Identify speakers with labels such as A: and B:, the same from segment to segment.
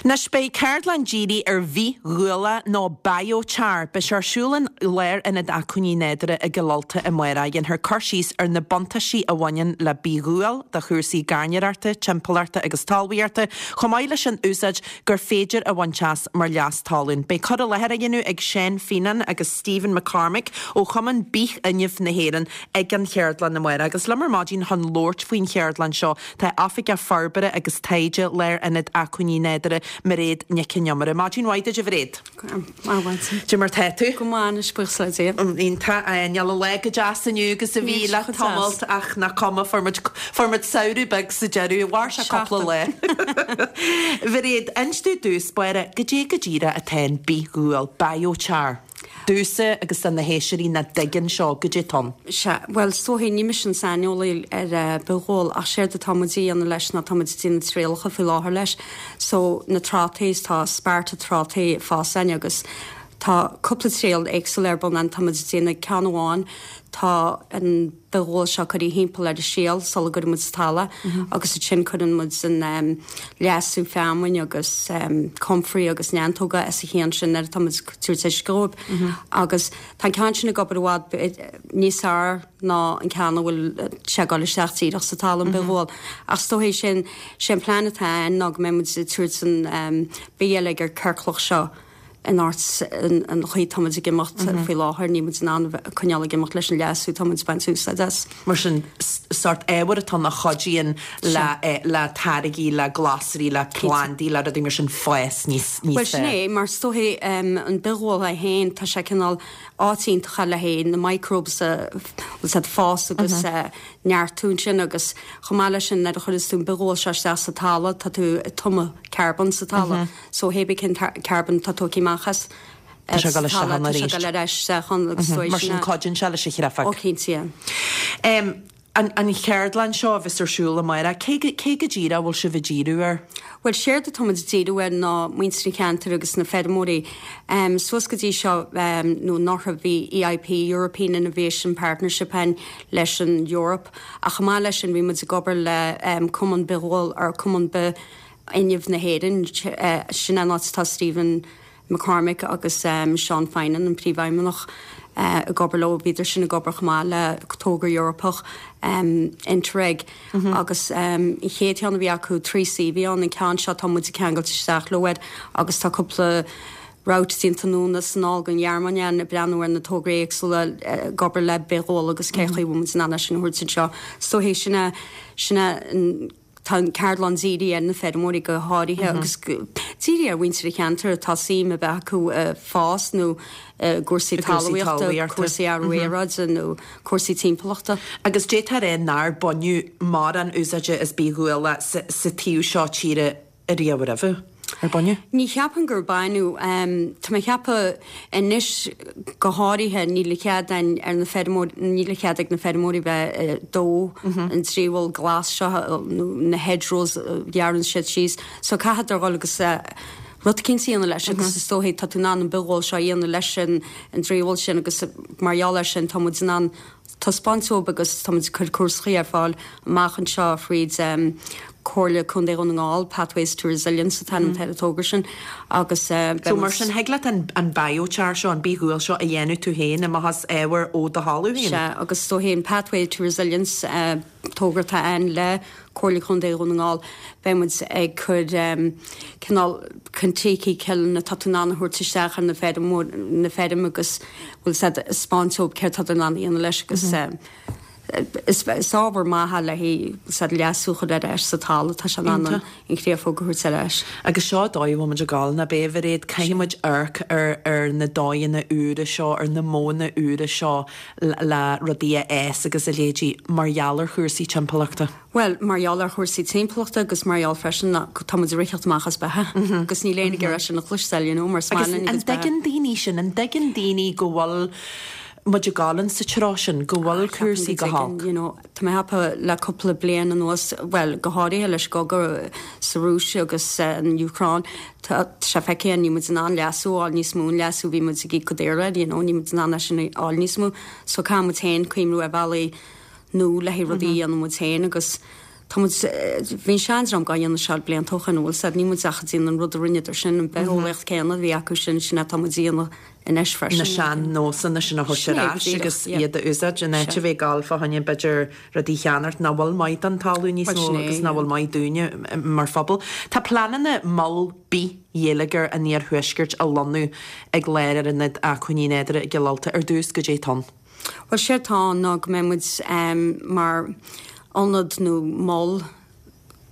A: Anois beidh ceardlann dírithe ar bhithghual nó biochar. Beidh sé ar siúl in Lárionad Acmhainní Nádúrtha i gCill Ulta amárach. Dhéanfar cur síos ar na buntáistí a bhaineann le bithghual do chúrsaí gairneoireachta, timpeallachta agus talmhaíochta, chomh maith leis an úsáid gur féidir a bhaint as mar leas talún. Beidh cur i láthair á dhéanamh ag Seán Feenan agus Stephen McCormick ó Chumann Bithfhuinnimh na hÉireann ag an cheardlann amárach. Agus liom ar maidin chun labhairt faoin cheardlann seo Tá Oifigeach Forbartha agus Taighde Lárionad Acmhainní Nádúrtha, Mairéad Nic an Iomaire. Maidin mhaith duit, a Mhairéad.
B: Maidin.
A: Cad é mar tá tú?
B: Go maith anois, buíochas le Dia.
A: Iontach. Níl an lá go deas inniu agus a bhí le tamalt ach nach cuma, fuair muid, fuair muid samhradh beag sa deireadh. Mhair sé cúpla lá. Mhairéad, inis domh i dtús báire, goidé go díreach atá in bithghual, biochar. Domhsa agus do na héisteoirí nach dtuigeann seo, goidé atá ann.
B: Sea, bhuel, is dóichí, ní mise an saineolaí ar bithghual ach séard atá muid a dhéanamh leis ná tá muid ag déanamh trialacha faoi láthair leis. So, na trátaí, tá sparta trátaí ag fás againn agus tá cúpla triail éagsúil ar bun ann, tá muid ag déanamh ceann amháin, tá an bithghual seo curtha thimpeall ar an síol sula gcuireann muid sa talamh agus ansin cuireann muid an leasú feamainn agus comfrey agus neantóga os a chionn sin nuair atá muid ag tabhairt uisce dhóibh. Agus tá an ceann sin ag obair i bhfad níos fearr ná an ceann a bhfuil sé ag dul isteach díreach sa talamh, an bithghual. Ach is dóichí sin, sé an plean atá ann ná go mbeidh muid ag tabhairt an bithgheilleagar ciorclach seo in áit an chaoi atá muid ag imeacht faoi láthair, níl muid in ann coinneáil ag imeacht leis an leasú atá muid ag baint úsáid as.
A: Mar sin, sórt ábhar atá ann a chuidíonn le táirgí, le glasraí, le plandaí, le rudaí mar sin fás níos
B: fearr. Bhuel, sin é, mar is dóichí an bithghual é féin, tá sé cineál áit iontach le haghaidh na microbes a bhfuil siad fás agus neartú ansin agus chomh maith leis sin nuair a chuireanns tú an bithghual seo isteach sa talamh tá tú ag tumadh carbón sa talamh. So hé bí cén carbón atá tógtha amach as
A: Tá sé ag dul isteach ann
B: arís. Tá sé ag dul ar ais isteach ann agus
A: dóigh Mar sin cuidíonn sé leis an chreafag.
B: Ó cinnte, yeah.
A: An cheardlann seo a bheas ar siúl amárach, cé go cé go díreach a bhfuil sibh ag díriú air?
B: Bhuel séard atá muid ag díriú air ná muintir an cheantair agus na feirmeoirí. Suas go dtí seo nó anuraidh bhí EIP, European Innovation Partnership ann leis an Eoraip ach chomh maith leis sin bhí muid ag obair le Cumann Bithghual or Cumann Bith Fhuinneamh na hÉireann, sin an áit atá Stephen McCormick agus Seán Finan, an Príomhfheidhmeannach, ag obair leo. Bhíodar sin ag obair chomh maith le togra Eorpach, Interreg, agus an chéad cheann a bhí acu, 3C a bhí ann, an ceann seo tá muid ag ceangailt isteach leo air agus tá cúpla route déanta anonn is anall don Ghearmáin againn ag breathnú ar na tograí éagsúla ag obair le bithghual agus cé chaoi a bhfuil muid in ann é sin a thabhairt anseo. So sin é, sin é an. Tá an ceardlann dírithe ar na feirmeoirí go háirithe agus dírithe ar mhuintir an cheantair atá suim a bheith acu i bhfás nó i gcúrsaí talmhaíochta, cúrsaí athrú aeráide nó cúrsaí timpeallachta.
A: Agus d'fhéadfá a rá nár baineadh mórán úsáide as bithghual sa taobh seo tíre ariamh roimhe, ar baineadh?
B: Ní cheapaim gur baineadh. Tá mé ag ceapadh anois go háirithe níl a chead againn ar na feirmeoirí, níl a chead ag na feirmeoirí bheith ag dó an dréimheal glas seo nó na hedgerows a ghearrann siad síos. So caithfeadar dhul agus rud eicínt a dhéanamh leis agus is dóichí tá tú in ann an bithghual seo a dhéanamh leis an dréimheal sin agus mar gheall air sin tá muid in ann taispeáint dóibh agus táimid ag cur cúrsaí ar fáil amach anseo fríd Comhairle Contae Dhún na nGall, Pathways to Resilience an t-ainm atá ar an togra sin agus
A: beidh So mar sin, thig leat an biochar seo, an bithghual seo a dhéanamh tú féin amach as ábhar ó do thalamh féin?
B: Sea, agus is dóichí an Pathway to Resilience togra atá ann le Comhairle Chontae Dhún na nGall, beidh muid ag cur cineál Kontiki kiln atá tú in ann a thabhairt isteach ar na feirm, na feirm agus bhfuil a fhios a'd 'spáint dóibh céard tá tú in ann a dhéanamh leis agus is ábhar maith é le haghaidh bhfuil a fhios a'd leasú a chur ar ais sa talamh, tá sé in ann an chréafóg a thabhairt ar ais.
A: Agus seo an dóigh a bhfuil muid ag gabháil, nach b'é a Mhairéad, caithfidh muid amharc ar ar na dóigheanna úra seo, ar na modhanna úra seo le rudaí a fhás agus a leithéidí mar gheall ar chúrsaí timpeallachta.
B: Bhuel, mar gheall ar chúrsaí timpeallachta agus mar gheall freisin ná tá muid ag ritheacht amach as beatha agus níl éinne ag iarraidh sin a chloisteáil, you know, mar is maith
A: Agus
B: linn a
A: an
B: gcuid beatha.
A: dtuigeann daoine sin, an dtuigeann daoine go bhfuil muid ag gabháil in sa treo sin, go bhfuil
B: Ceapaim go
A: cúrsaí go
B: dtuigeann,
A: holc?
B: you know, tá mé ag ceapadh le cúpla bliain anuas, bhuel, go háirithe leis an gcogadh sa Rúis agus san Úcráin, tá sé feicthe níl muid in ann leasú a fháil níos mó, an leasú a bhí muid ag íoc go daor air, you know, níl muid in ann é sin a fháil níos mó. So caithfidh muid féin cuimhniú ar bhealaí nua le haghaidh rudaí a dhéanamh muid féin agus. Tá muid, bhí an seandream dhá dhéanamh seo blianta ó shoin, bhfuil 's a'd, níl muid ach ag déanamh an rud a rinneadar sin, an bitheolaíocht céanna a bhí acu sin, sin é atá muid a dhéanamh anois freisin.
A: Na sean-nósanna sin a thabhairt ar ais agus iad a úsáid in áit a bheith ag gabháil fá choinne b'fhéidir rudaí a cheannacht nach bhfuil maith don talamh níos mó agus nach bhfuil maith dúinne mar phobal. Tá pleananna mol bith-gheilleagar an iarthuaiscirt a lonnú ag Lárionad Acmhainní Nádúrtha i gCill Ulta ar dtús, goidé atá ann.
B: Bhuel, séard atá ann ná go mbeidh muid mar ionad nó mol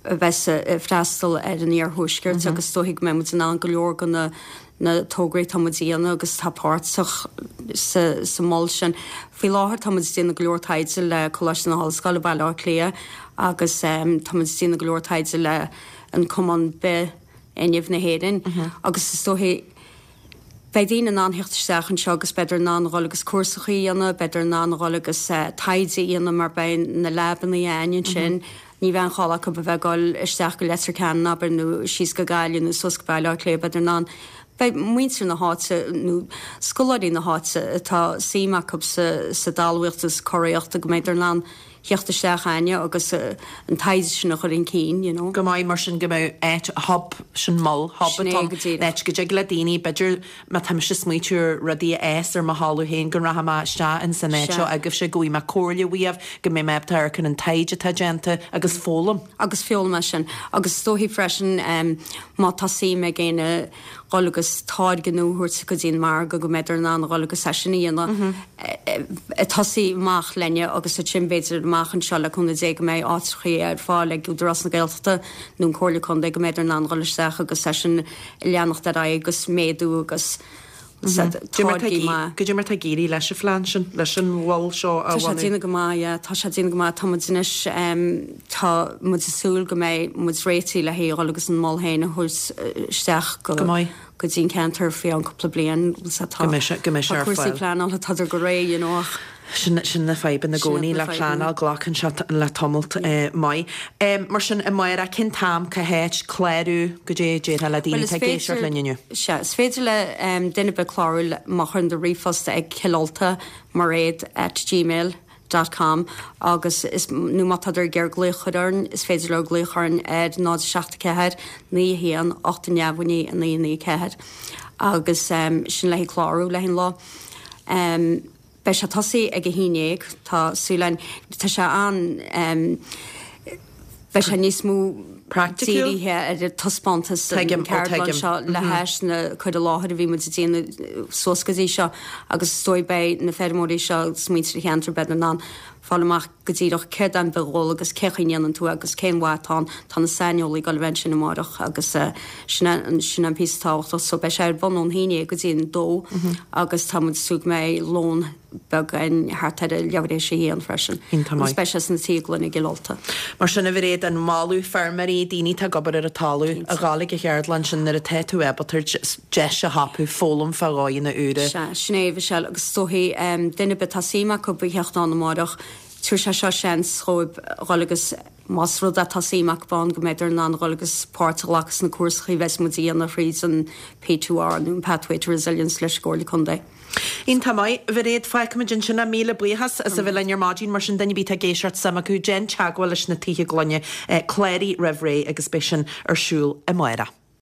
B: a bheas ag freastal ar an iarthuaisceart agus is dóichí go mbeidh muid in ann go leor de na na tograí atá muid a dhéanamh agus atá páirteach sa sa mol sin. Faoi láthair tá muid ag déanamh go leor taighde le Coláiste na hOllscoile Baile Átha Cliath agus tá muid ag déanamh go leor taighde le an Cumann Bith-Fhuinnimh na hÉireann agus is dóichí Beidh daoine in ann theacht isteach anseo agus beidar in ann a dhul agus cúrsachaí a dhéanamh, beidar in ann a dhul agus taighde a dhéanamh mar beidh na leabannaí a'ainn ansin. Ní bheidh an chall acu a bheith ag dul isteach go Leitir Ceanainn, abair, nó síos go Gaillimh nó suas go Baile Átha Cliath, beidar in ann, beidh muintir na háite nó scoláirí na háite atá suim acu sa sa dtalmhaíocht agus sa curaíocht go mbeidar in ann theacht isteach a'ainne agus an taighde sin a chur chun cinn, you know.
A: Go maith, mar sin go mbeadh áit, hub, sin mol, hub
B: Sin é
A: atá
B: go
A: ann,
B: díreach.
A: áit go dtig le daoine, b'fhéidir má tá mise ag smaoitiú ar rudaí a fhás ar mo thalamh féin, go rachaidh mé isteach in san áit
B: Sea.
A: seo agaibhse, go bhfaighidh mé comhairle uaibh, go mbeidh mé ábalta amharc ar an taighde atá déanta agus foghlaim.
B: Agus foghlaim as sin. Agus is dóichí freisin má tá suim ag éinne dhul agus táirge nua a thabhairt go dtí an margadh go mbeidar in ann a dhul agus é sin a dhéanamh ag tosaí amach lenne agus ansin b'fhéidir amach anseo le cúnamh Dé go mbeidh áiteachaí ar fáil ag Údarás na Gaeltachta nó an Comhairle Contae go mbeidar in ann dhul isteach agus é sin a leanacht ar aghaidh agus méadú agus táirgí maith.
A: Goidé mar tá ag éirí leis an phlean sin, leis an mhol seo a
B: Tá sé
A: bhunú?
B: déanamh go maith, yeah, tá sé déanamh go maith. Tá muid anois, tá muid ag súil go mbeidh muid réitithe le haghaidh a dhul agus an mol féin a thabhairt isteach go
A: Go maith.
B: go dtí an ceantar faoi cheann cúpla bliain. Tá
A: Go mbeidh sé, go mbeidh sé
B: tá
A: ar
B: cúrsaí
A: fáil.
B: pleanála, tádar go réidh, you know, ach.
A: Sin, sin na fadhbanna i
B: Sin iad
A: gcónaí
B: na
A: le
B: fadhbanna.
A: pleanáil, glacann sé le tamalt maith. Mar sin, amárach, cén t-am, cá háit, clárú, goidé a déarfá le
B: Bhuel,
A: daoine
B: is
A: atá ag éisteacht
B: féidir,
A: linn inniu?
B: sea, is féidir le duine ar bith clárú má chuireann tú ríomhphost ag cillulta mairead at gmail dot com agus is, nó má tádar ag iarraidh glaoch a chur orainn, is féidir leo glaoch orainn ar 0 7 4 9 1 8 9 9 9 9 4 agus sin le haghaidh clárú le haghaidh an lá. Beidh sé tosaithe ag a 11, tá súil againn. Tá sé an, beidh sé níos mó
A: Praiticiúil?
B: dírithe ar an taispeántas
A: Tuigim,
B: an
A: ó
B: ceardlann
A: tuigim.
B: seo le hais na cur i láthair a bhí muid ag déanamh suas go dtí seo agus is dóigh beidh na feirmeoirí seo agus muintir an cheantair beidh in ann fáil amach go díreach céard é an bith-ghual agus cén chaoi a ndéanann tú é agus cén mhaith atá ann. Tá na saineolaí ag dul a bheith ansin amárach agus sin é sin é an píosa tábhachtach. So beidh sé ar bun ón haon déag go dtí an dó agus tá muid ag súil go mbeidh lón beag againn thart ar a leathuair théis a haon freisin.
A: Iontach
B: Agus
A: maith.
B: beidh sé sna Tithe Gloine i gCill Ulta.
A: Mar sin a Mhairéad, an moladh feirmeoirí, daoine atá ag obair ar an talamh, a ghabháil ag an cheardlann sin nuair atá tú ábalta deis a thapú foghlaim fá dhóigheanna úra.
B: Sea, sin é, a Mhichelle, agus is dóichí, duine ar bith atá suim acu a theacht ann amárach, tabharfaidh sé seo seans dhóibh dhul agus, más rud é tá suim acu ann, go mbeidar in ann dhul agus páirt a ghlacadh sna cúrsachaí a bheas muid a dhéanamh thríd an P2R nó an Pathway to Resilience leis an gComhairle Contae.
A: Iontach maith, a Mhairéad, fágfaimid ansin é. Míle buíochas as a bheith linn ar maidin. Mar sin, duine ar bith atá ag éisteacht suim acu, déan teagmháil leis na Tithe Gloine, cláraigh roimh ré agus beidh sin ar siúl amárach.